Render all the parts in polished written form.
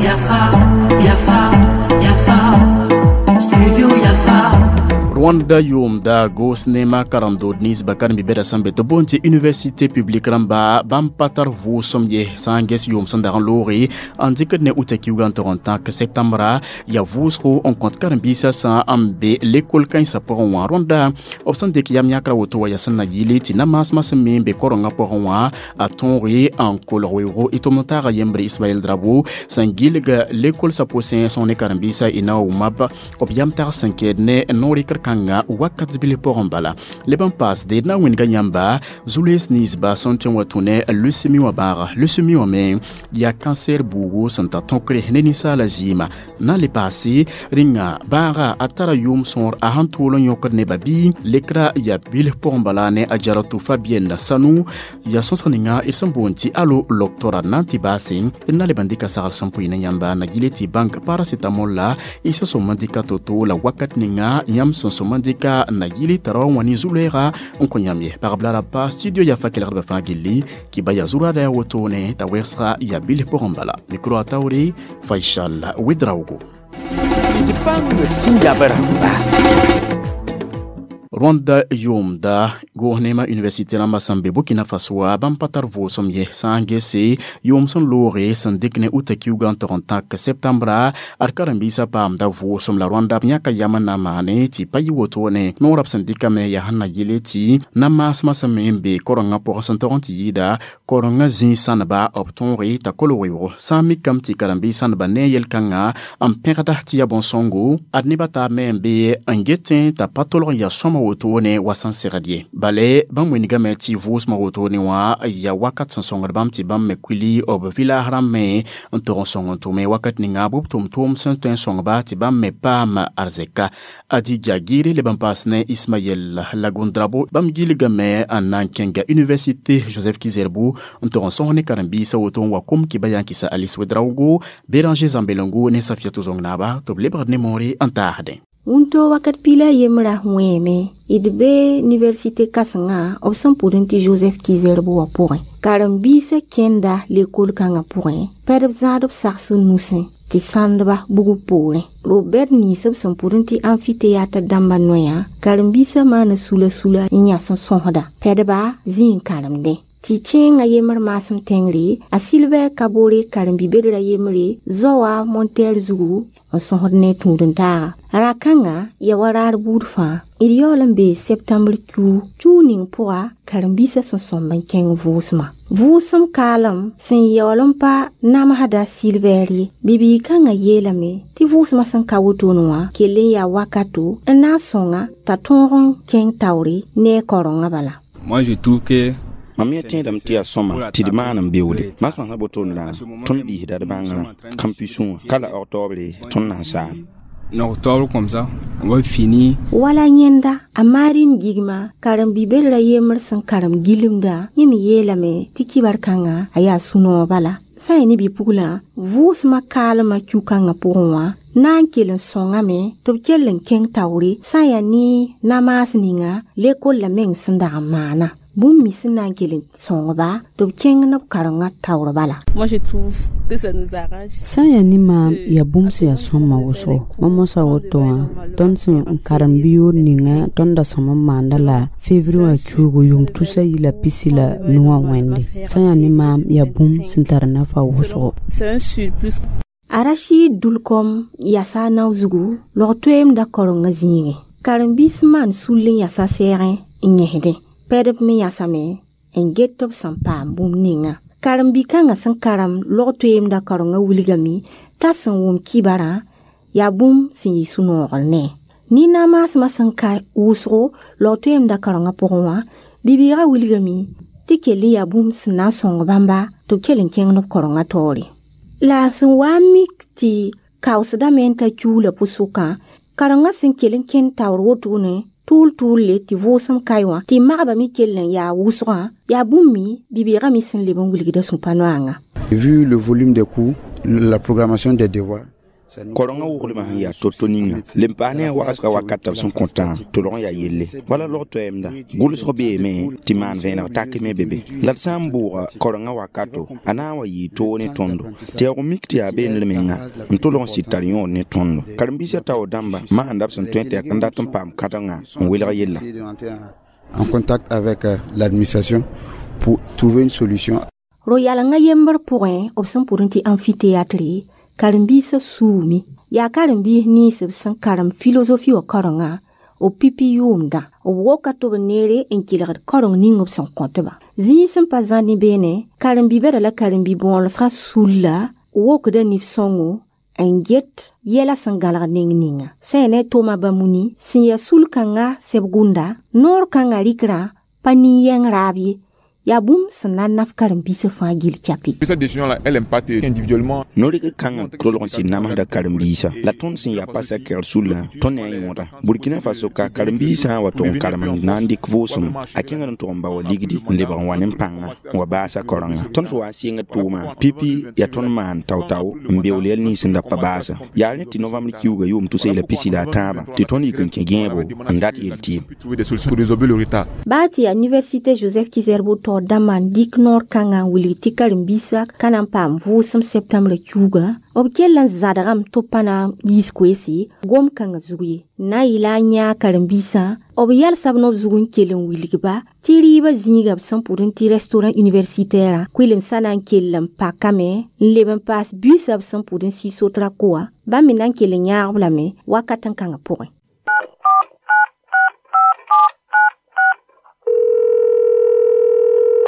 Yafa, Yafa, Yafa, Studio Yafa. Rwanda yʋʋmda goos neema karen-dood ninsbã karen-bi-bɛda sẽn be tɩ boond tɩ université publique rãmba bãmb pa tar vʋʋsem ye. Sã n ges yʋʋm sẽn dag n looge n dɩkd ne uta kiuugã n tog n tãk septembra, yaa vʋʋsgo n kõt karen-biisã sã n be lekol kãensã pʋgẽ wã. Rõnda b sẽn dɩk yam yãkra woto wa yaa sẽn na yɩle tɩ na-maasmã sẽn me n be korengã pʋgẽ wã a tõoge n kolg weoogo. Y tʋmd taaga yembre Ismaɛl Drabo sẽn gilg lekol sã pʋsẽ sõng ne karen-biisã y na wa wʋmab b yam tag sẽn kɛɛd ne no-rɩkr kãnga wakat bil pʋgẽ bala. Leb n paasde d na n wĩnga yãmba zu-loees ninsba sẽn tõe n wa tũ ne leucémie wã bãaga. Leucémie wã me yaa cancer buugu sẽn ta tõkre ne ninsaala zɩɩma na n le paase rĩnga bãaga a tara yʋʋm sõor a sẽn tʋʋl n yõkd nebã bɩ lekra yaa bilf pʋgẽ bala ne a Jaratu Fabienne Sanu yaa sõsg ninga d sẽn boond tɩ alo loktora na n tɩ baase. D na leb n dɩka sagl sẽn pʋɩ ne yãmba na gile tɩ bãng paracetamol la y sẽn sõm n dɩka to-to la wakat ninga yãmb sẽn sõm n dɩka na yili tara wa wã ne zu-loɛɛga n kõ yãmb ye. Pagb la rapa studio yafa kelgdbã fãa gilli kɩ ba yaa zu-raada yaa wotone t'a wɛgsga yaa bilf pʋgẽ bala. Micro a taoore Faisal Ouedraogo. D bãng d sẽn yab rãmba. Rwanda yʋʋmda goos neema université rãmbã sẽn be Burkina Faso wã bãmb pa tar vʋʋsem ye. Sã n gese yʋʋm sẽn looge sẽn dɩk ne uta kiuugã n tog n tãk septembra, ad karen-biisã paamda vʋʋsem la Rwanda b yãka yam n na n maane tɩ pa yɩ wotone. Noorã b sẽn dɩkame yaa sẽn na yele tɩ na-maasmã sẽn me n be korengã pʋgẽ sẽn tog n tɩ yɩɩda korengã zĩig sãneba b tõoge t'a kolg weoogo. Sã n mikame tɩ karen-biis sãneba ne yel-kãngã n pẽgda tɩ yaa bõn-sõngo, ad nebã taab me n be n getẽ t'a pa tolg n yaa sõma wotone wa sẽn segd ye. Bale bãmb wingame tɩ vʋʋsmã wotone wã yaa wakat sẽn sõngd bãmb tɩ bãmb me kuili b village rãmb me n tog n sõng n tʋme wakat ninga b tʋm-tʋʋm sẽn tõe n sõngba tɩ bãmb me paam arzɛka. Adija Gire leb n paas ne Ismaɛl Lagundrabo bãmb gilgame n na n kẽnga université Joseph Kizerbo n tog n sõs ne karen-biisã woto n wa kom kɩ ba yã n kɩsa Alice Ouedraogo, Béranger Zambelengo ne Safiatou Zong-Naaba tɩ b lebgd ne moore n taasdẽ. Wũntoo wakat piila yembrã wẽeme d be université kãsengã b sẽn pʋd n tɩ Joseph Kizerbo wã pʋgẽ. Karen-biisã kẽnda lekol kãngã pʋgẽ pɛdb zãad b sags nusẽ tɩ sãndba bugb poorẽ. Robɛd nins b sẽn pʋd n tɩ amphithéâtre dãmbã noyã karen-biisã maana sula-sula n yãs n sõsda pɛdba zĩ n karemdẽ. Tɩ kẽengã yembr maasem tẽngre a Sylvère Kabore karen-bi-bedrã yembre zoa monter zugu n sõsd ne tũud-n-taaga. Ra-kãngã yaa wa raar buud fãa. D yaool n bee septembre kiu kiu ning pʋga karen-biisã sẽn sõmb n kẽng vʋʋsmã. Vʋʋsem kaalem sẽn yaool n pa namsda Sylvère ye. Bibiig kãngã yeelame tɩ vʋʋsmã sẽn ka wotone wã kell n yaa wakato n na n sõnga t'a tõog n kẽng taoore ne a karengã bala. Moi, je trouve que Mam yẽ tẽedame tɩ yaa sõma tɩ d maan n beoole. Maasmã wotone la tõnd biisda d bãngrã campus wã ka la octobre tõnd na n saam. En octobre comme ça, on va finir. Wala yẽnda a Marine Gigma karen-bi-bedrã yembr sẽn karem gilmdã yẽ me yeelame tɩ kibar kãngã a yaa sũ-noog bala. Sã n yaa ne bi-puglã vʋʋsmã kaalmã kiu-kãngã pʋgẽ wã na n kell n sõngame tɩ b kell n kẽng taoore sã n yaa ne na-maas ninga lekol la meng sẽn dag n maana. Bũmb me sẽn na n kell n sõngba tɩ b kẽng ne b karengã taoor bala. Moi, je trouve que ça nous arrange. Sã n yaa ne maam yaa bũmb sẽn yaa sõma wʋsgo. Mam mosã woto wã tõnd sẽn n karem bi-yood ninga tõnd da sõm n maanda la février wã cuugu yʋʋm 2019 wã wẽnde. Sã n yaa ne maam yaa bũmb sẽn tar nafa wʋsgo. C'est un surplus. Arachid Dulkom yasa nao zugu log toeemda karengã zĩigẽ. Karen-biis maan sull n yasa sɛɛgẽ n yẽsdẽ. Pɛdb me yasame n get tɩ b sẽn paam bũmb ninga. Karen-bi-kãngã sẽn karem log toeemda karengã wilgame t'a sẽn wʋm kibarã yaa bũmb sẽn yɩ sũ-noogr ne. Nin-na-maasmã sẽn ka wʋsgo log toeemda karengã pʋgẽ wã bibiigã wilgame tɩ kell n yaa bũmb sẽn na n sõng bãmba tɩ b kell n kẽng ne b karengã taoore. La sẽn wa n mik tɩ kaoosdame n ta kiuula pʋ-sʋkã karengã sẽn kell n kẽnd taoor wotone tʋʋl tʋʋl le tɩ vʋʋsem kae wã tɩ magbã me kell n yaa wʋsgã yaa bũmb me bibiigã me sẽn leb n wilgda sũ-pa-noangã. Vu le volume des cours, la programmation des devoirs, Korengã woglmã sẽn yaa to-to ninga le n paas ne a wagsga wakat b sẽn kõtã tolg n yaa yelle wala log toɛɛmda gʋlsg beeme tɩ maan vẽeneg tak me be be la d sã n bʋʋga korengã wakato a na n wa yɩɩ toog ne tõndo tɩ yaa mik tɩ yaa beendr menga n tolg n sɩd tar yõod ne tõndo karen-biisã taoor dãmba maanda b sẽn tõe tɩ yaa n dat n paam kãdengã n welg yella. En contact avec l'administration pour trouver une solution. Ro-yalengã yembr pʋgẽ b sẽn pʋd n tɩ amphithéâtre karen-biisã suumi yaa karen-biis nins b sẽn karem philosophie wã karengã b pipi yʋʋmdã b woka tɩ b neere n kelgd kareng ning b sẽn kõtba zĩig sẽn pa zã ne beene karen-bi-bɛda la karen-bi-bõolsgã sulla wokda nif-sõngo n get yɛla sẽn gãlg neng ninga sã yaa ne a Toma Bamuni sẽn yaa sul-kãngã sɛb gũnda noor kãngã rɩkrã pa nin-yɛng raab ye yaa bũmb sẽn na n naf karen-biisã fãa gill kyapi. Cette décision-là, elle impacte individuellement. No-rɩkr kãngã tolg n sɩd namsda karen-biisã la tõnd sẽn yaa pa sakɛgr sullã tõnd ne a yõoda Burkina Faso ka karen-biisã wa tʋg n karem n na n dɩk vʋʋsem a kẽngd n tʋg n ba wa ligdi n lebg n wa ne pãnga n wa baasa karenga tõnd sẽn wa n sɩngd tʋʋma pipi yaa tõnd maan tao-tao n beool yɛl nins sẽn da pa baasa yaa rẽ tɩ novembre kiuugã yʋʋm 2023 tɩ tõnd yik n kẽ gẽebo n dat yel tɩɩm. Trouver des solutions pour résorber le retard. Baa tɩ yaa université Joseph Kizerbo taoor dãmbã n dɩk noor kãngã n wilg tɩ karen-biisã ka na n paam vʋʋsem septembre kiuugã b kell n zãdgame tɩ b pa na n yiis koeese gom kãngã zug ye na n yɩla a yãag karen-biisã b yalsa b nob zug n kell n wilgba tɩ rɩɩbã zĩiga b sẽn pʋd n tɩ restaurant universitaire kʋɩlemsã na n kell n pakame n leb n paas buisã b sẽn pʋd n sɩ sotra koa bãmb me na n kell n yãag-b lame wakat n kãngã pʋgẽ.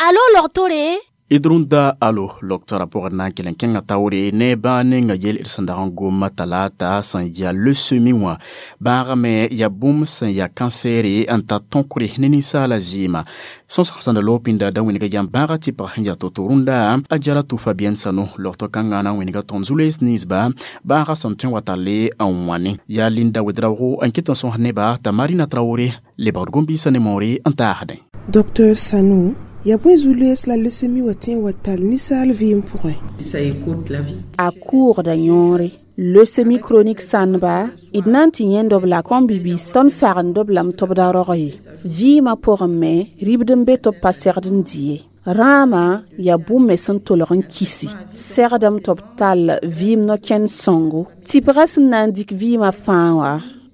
Alo logtore Idrunda alo loktora pʋgẽ na n kell n kẽngã taoore ne bãag ninga yel d sẽn dag n goma talaata sẽn yaa leucémie wã bãagame yaa bũmb sẽn yaa kansɛɛre n tar tõkre ne ninsaala zɩɩma sõsg sẽn da loog pĩnda da wĩnga yam bãaga tɩpg sẽn yaa to-to rũndã a jara tʋ Fabienne Sano logto kãngã na n wĩnga tõnd zu-loees ninsba bãaga sẽn tõe n wa talle n wãne yaa Linda Wedraogo n ket n sõs neba t'a Marina Traoré lebgd gom-biisã ne moore n taasdẽ. Docteur Sanou, yaa bõe zu-loees la leucémie wa tẽ n wa tall ninsaal vɩɩm pʋgẽ? Ça écoute la vie. A kʋʋgda yõore leucémie chronique sãnba d na n tɩ yẽnd b la kõn-bibiis tõnd sagend b lame tɩ b da rog ye vɩɩmã pʋgẽ me ribd n be tɩ b pa segd n dɩ ye rãamã yaa bũmb me sẽn tolg n kisi segdame tɩ b tall vɩɩm no-kẽnd sõngo tɩpgã sẽn na n dɩk vɩɩmã fãa wã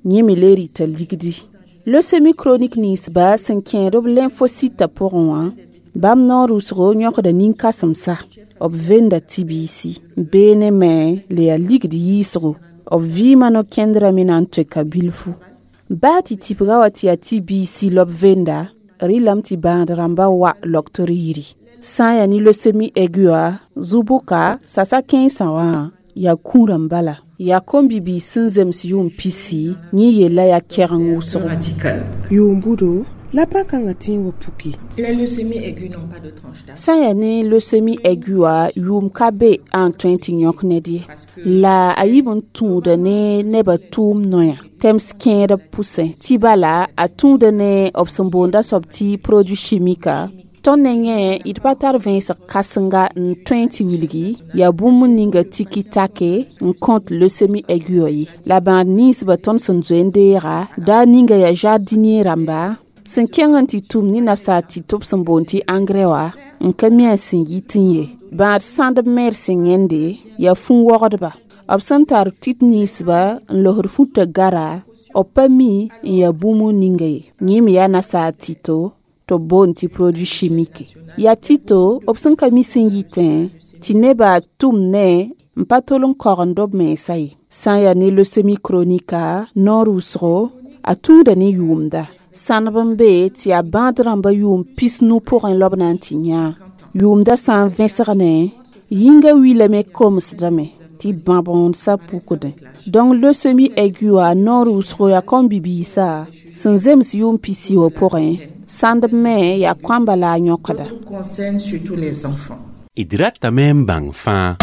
yẽ me le rɩta ligdi leucémie chronique ninsba sẽn kẽed b lymphocyte pʋgẽ wã bãmb noor wʋsgo yõkda nin-kãsemsa b venda tɩ-biisi beene me le yaa ligd yiisgo b vɩɩmã no-kẽndrã me na n toeka bilfu baa tɩ tɩpga wa tɩ yaa tɩ-biisi la b venda rɩlame tɩ bãad rãmba wa logtr yiri sã n yaa ne leucémie aiguë wã zu-bʋka sasa kẽensã wã yaa kũurã bala yaa kom-bibiis sẽn zems yʋʋm pisi yẽ yella yaa kɛgeng wʋsgo. Yʋʋm budo la bãn-kãngã tẽ n wa puki. Les leucémies aiguës n'ont pas de tranche d'âge. Sã n yaa ne leucémie aiguë wã yʋʋm ka be n tõe n tɩ yõk ned ye la a yib n tũuda ne nebã tʋʋm noya tɛms kẽed b pʋsẽ tɩ bala a tũuda ne b sẽn boonda soab tɩ produit chimique tõnd nengẽ d pa tar vẽensg kãsenga n tõe n tɩ wilgi yaa bũmb ninga tiki take n kõt leucémie aiguë wã ye la bãad ninsbã tõnd sẽn zoe n deega daa ninga yaa jardinier rãmba sẽn kẽng n tɩ tʋm ne nasaar tɩ tɩ b sẽn boond tɩ engrais wã n ka mi a sẽn yit n ye bãad sãndb mer sẽn yẽnde yaa fũ-wogdba b sẽn tar tit ninsba n losd futã gara b pa mi n yaa bũmb ninga ye yẽ me yaa nasaar tɩto tɩ b boond tɩ produit chimique yaa tɩto b sẽn ka mi sẽn yitẽ tɩ nebã tʋm ne n pa tol n kogend b mensã ye sã n yaa ne leucémie chronique noor wʋsgo a tũuda ne yʋʋmda sãneb n be tɩ yaa bãad rãmbã yʋʋm pisnu pʋgẽ la b na n tɩ yãa yʋʋmda sã n vẽsg ne yĩngã wilame komsdame tɩ bãbõodsã pukdẽ donc leucémie aiguë wã noor wʋsgo yaa kõn-bibiisã sẽn zems yʋʋm pisi wã pʋgẽ sãndb me yaa kõamba la a yõkda. Concerne surtout les enfants. D ratame n bãng fãa.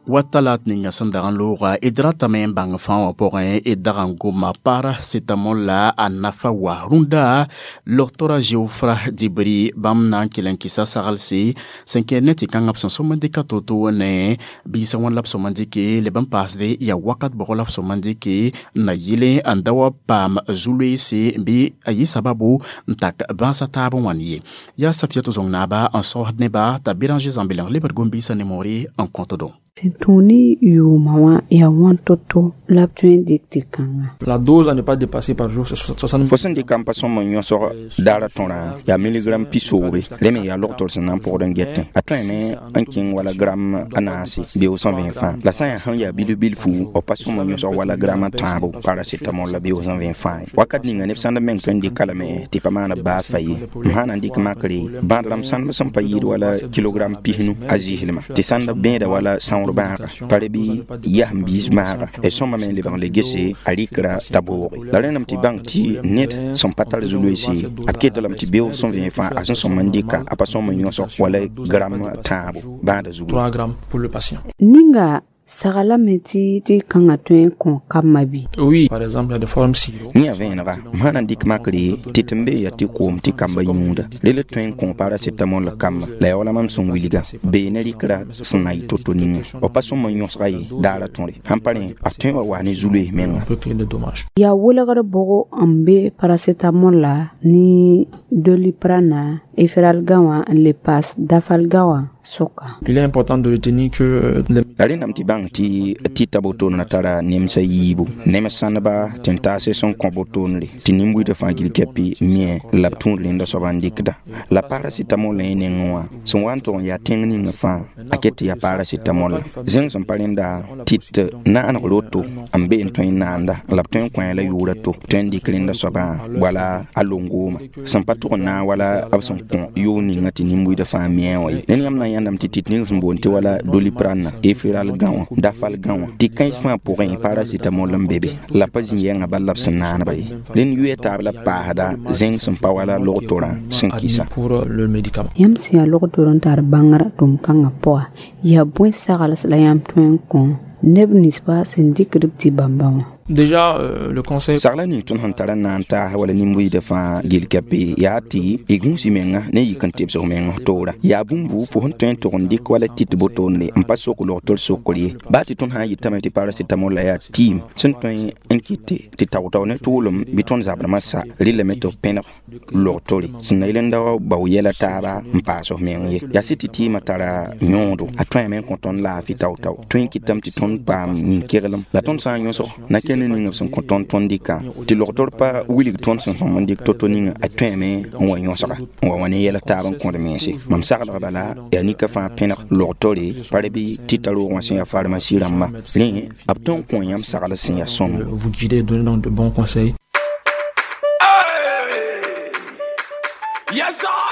Wa talat ninga sẽn dag n looga d ratame n bãng fãa wã pʋgẽ d dag n goma paracetamol la a nafa wa rũndã logtora Geoffra Dibri bãmb na n kell n kɩsa saglse sẽn kẽer ne tɩ kãngã b sẽn sõm n dɩka to-to ne biisã wãn la b sõm n dɩke leb n paasde yaa wakat bʋgɔ la b sõm n dɩke n na yɩle n da wa paam zu-loeese bɩ a yɩ sababu n tak bãasa taab n wãn ye yaa Safiatou Zong naaba n saosd neba t'a Béranger Zãmbeleng lebd gom-biisã ne moore n kõtdo. Sẽn tũ ne yʋʋmã wã yaa wãn to-to la b tõe n dɩk tɩ kãnga. La dose à ne pas dépasser par jour, c'est 60. Fo sẽn dɩka n pa sõm n yõsg daar tõrã yaa milligram pisoobe rẽ me yaa logtr sẽn na n pʋgd n getẽ a tõeme n kẽng wala gram a naase beoog sẽn vẽ fãa la sã n yaa sẽn yaa bilf-bilfu b pa sõm n yõsg wala gram a tãabo paracetamol la beoog sẽn vẽ fãa ye wakat ninga neb sãnd meng tõe n dɩka lame tɩ pa maan b baas fa ye m sã na n dɩk makre bãad rãmb sãndb sẽn pa yɩɩd wala kilogram pisnu a zɩslmã tɩ sãnd bẽeda wala sãoor bãaga pa re bɩ yasem biis bãaga d sõmame n lebg n le gese a rɩkra t'a booge la rẽndame tɩ bãng tɩ ned sẽn pa tar zu-loeese a ket lame tɩ beoog sẽn vẽ fãa a sẽn sõm n dɩka a pa sõm n yõsg wala gram tãabo bãada zugu. 3 grammes pour le patient. Ninga saglame tɩ tɩ kãngã tõe n kõ kambã bɩ? Oui, par exemple, il y a des formes sirop. Yẽ vẽenega m sã na n dɩk makre tɩ tɩ n bee yaa tɩ koom tɩ kambã yũuda rel tõe n kõ paracetamol la kamba la yaa wala mam sẽn wilga bee ne rɩkra sẽn na yɩ to-to ninga b pa sõm n yõsga ye daara tõre sãn pa rẽ a tõe wa wa ne zu-loees menga. Peut créer des dommages. Yaa welgr bʋgo n be paracetamol la ne doliprane Efferalgan wã n le paas dafalgan wã sʋka. Il est important de retenir que les La rẽndame tɩ bãng tɩ tɩta botoon na tara nemsã yiibu nem sãndba tɩ n taase sẽn kõ botoonre tɩ nin-buidã fãa gil kɛpɩ mie la b tũud rẽnda soaba n dɩkda la paracetamol la yẽ nengẽ wã sẽn wa n tʋg n yaa tẽng ninga fãa a ket tɩ yaa paracetamol la zẽng sẽn pa rẽnda tɩt naaneg roto n be n tõe n naanda la b tõe n kõ la yʋʋra to tõe n dɩk rẽnda soabã wala a longooma sẽn pa tʋg n naag wala b sẽn kõ yʋʋg ninga tɩ nin-buidã fãa mie wã ye ned yãmb na n yãndame tɩ tɩt ning sẽn boond tɩ wala doliprane Efferalgan wã dafalgan wã tɩ kãens fãa pʋgẽ paracetamol n be be la pa zĩ yɛngã bal la b sẽn naanba ye rẽnd yʋya taab la paasda zẽng sẽn pa wala logtorã sẽn kɩsa. pour le médicament. Yãmb sẽn yaa logtor n tar bãngr tʋm-kãngã pʋga yaa bõe sagls la yãmb tõe n kõ neb ninsba sẽn dɩkd b tɩ bãmba wã? Déjà, le conseil. Sagla ning tõnd sẽn tara n na n taas wala nin-buiidã fãa gel-kɛpe yaa tɩ y gũus y menga ne yik n tebsg meng toora yaa bũmbu fo sẽn tõe n tʋg n dɩk wala tɩt botoonde n pa sok logtr sokr ye baa tɩ tõnd sã n yetame tɩ paracetamol la yaa tɩɩm sẽn tõe n kɩt tɩ tao-tao ne tʋʋlem bɩ tõnd zabrãmã sa rɩlame tɩ b pẽneg logtore sẽn na yel n da wa bao yɛla taaba n paas f meng ye yaa sɩ tɩ tɩɩmã tara yõodo a tõeme n kõ tõnd laafɩ tao-tao tõe n kɩtame tɩ tõnd paam yĩn-keglem la tõnd sã n yõsg na kẽ ne ning b sẽn kõ tõnd tõnd dɩka tɩ logtr pa wilg tõnd sẽn sõm n dɩk to-to ninga a tõeme n wa yõsga n wa wa ne yɛl taab n kõd mense mam saglg bala yaa nika fãa pẽneg logtore pa re bɩ tɩ ta roog wã sẽn yaa pharmacie rãmba rẽ b tõe n kõ yãmb sagl sẽn yaa sõmbo. Vous guider, donner donc de bons conseils.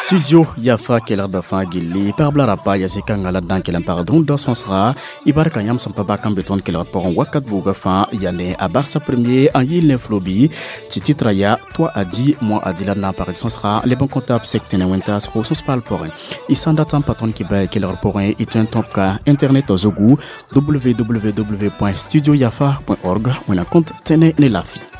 Studio Yafa kelgda fãa gilli pagb la rapa yaa zĩ-kãngã la d na n kell n pagd rũndã sõsga y barka yãmb sẽn pa bak n be tõnd kelgd pʋgẽ wakat buugã fãa yaa ne a Barça premier n yɩɩl ne flobi tɩ titre yaa toi a dit moi a dit la d na n pagd sõsga leb n kõta b sek tẽne wẽntaasgo sõs-paal pʋgẽ y sã n dat n pa tõnd kɩ ba kelgd pʋgẽ y tõe n tõp ka internet zugu www.studioyafa.org wẽna kõnt tẽne ne lafi.